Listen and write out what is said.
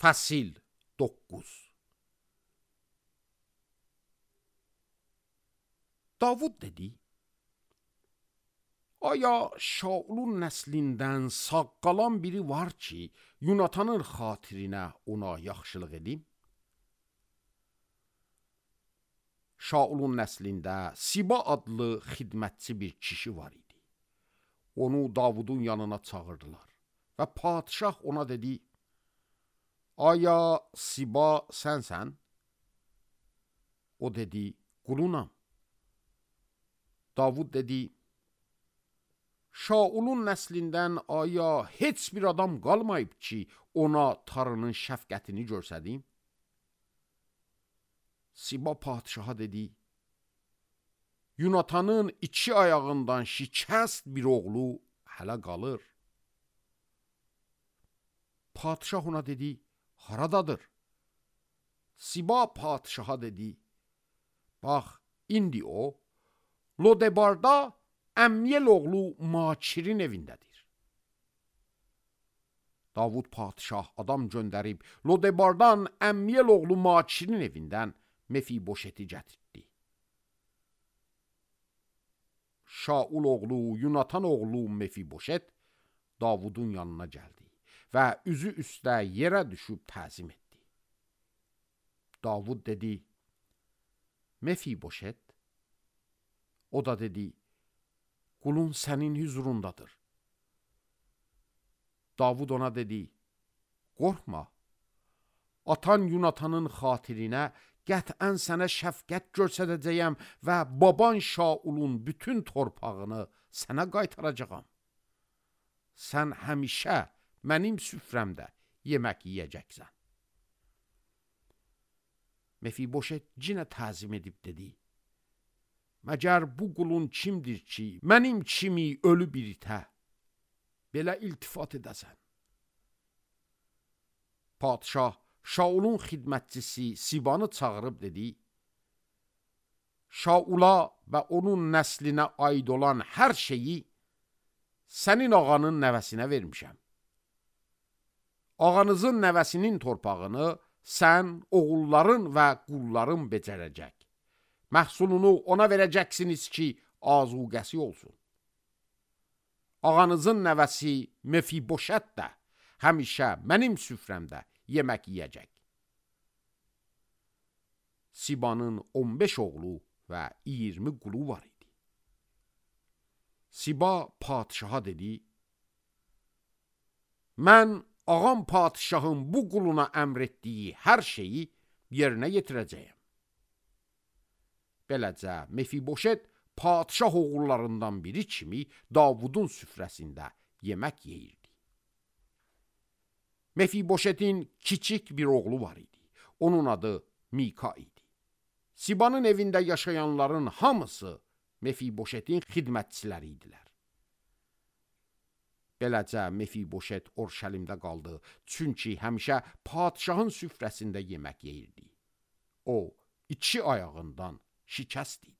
Fəsil 9. Davud dedi: Aya Şaulun nəslindən sağ qalan biri var ki, Yunatanın xatirinə ona yaxşılıq edim? Şaulun nəslində Siba adlı xidmətçi bir kişi var idi. Onu Davudun yanına çağırdılar və padişah ona dedi: Aya Siba sənsən? O dedi: Qulunam. Davud dedi: Şaulun nəslindən aya heç bir adam qalmayıb ki, ona tarının şəfqətini görsədim? Siba padişaha dedi: Yunatanın 2 ayağından şikəst bir oğlu hələ qalır. Padişah ona dedi: Haradadır? Siba padişaha dedi: Bax, indi o Lodebarda Əmyel oğlu Makirin evindədir. Davud padişah adam göndərib Lodebardan Əmyel oğlu Makirin evindən Mefiboşeti gətirdi. Şaul oğlu Yunatan oğlu Mefiboşet Davudun yanına gəldi və üzü üstə yerə düşüb təzim etdi. Davud dedi: Mefiboşet. O da dedi: Qulun sənin hüzurundadır. Davud ona dedi: Qorxma, atan Yunatanın xatirinə qətən sənə şəfqət göstərəcəyəm və baban Şaulun bütün torpağını sənə qaytaracağam. Sən həmişə mənim süfrəmdə yemək yeyəcəksən. Mefiboşet yenə təzim edib dedi: Məgər bu qulun kimdir ki, mənim kimi ölü bir itə belə iltifat edəsən? Padişah Şaulun xidmətçisi Sibanı çağırıb dedi: Şaula və onun nəslinə aid olan hər şeyi sənin ağanın nəvəsinə vermişəm. Ağanızın nəvəsinin torpağını sən, oğulların və qulların becərəcək. Məhsulunu ona verəcəksiniz ki, azuqəsi olsun. Ağanızın nəvəsi Mefiboşət də həmişə mənim süfrəmdə yemək yeyəcək. Sibanın 15 oğlu və 20 qulu var idi. Siba padişaha dedi: Mən ağam padişahın bu quluna əmr etdiyi hər şeyi yerinə yetirəcəyəm. Beləcə Mefiboşet padişah oğullarından biri kimi Davudun süfrəsində yemək yeyirdi. Mefiboşetin kiçik bir oğlu var idi. Onun adı Mika idi. Sibanın evində yaşayanların hamısı Mefiboşetin xidmətçiləri idilər. Beləcə Mefiboşet Orşəlimdə qaldı, çünki həmişə padişahın süfrəsində yemək yeyirdi. O 2 ayağından şikəst idi.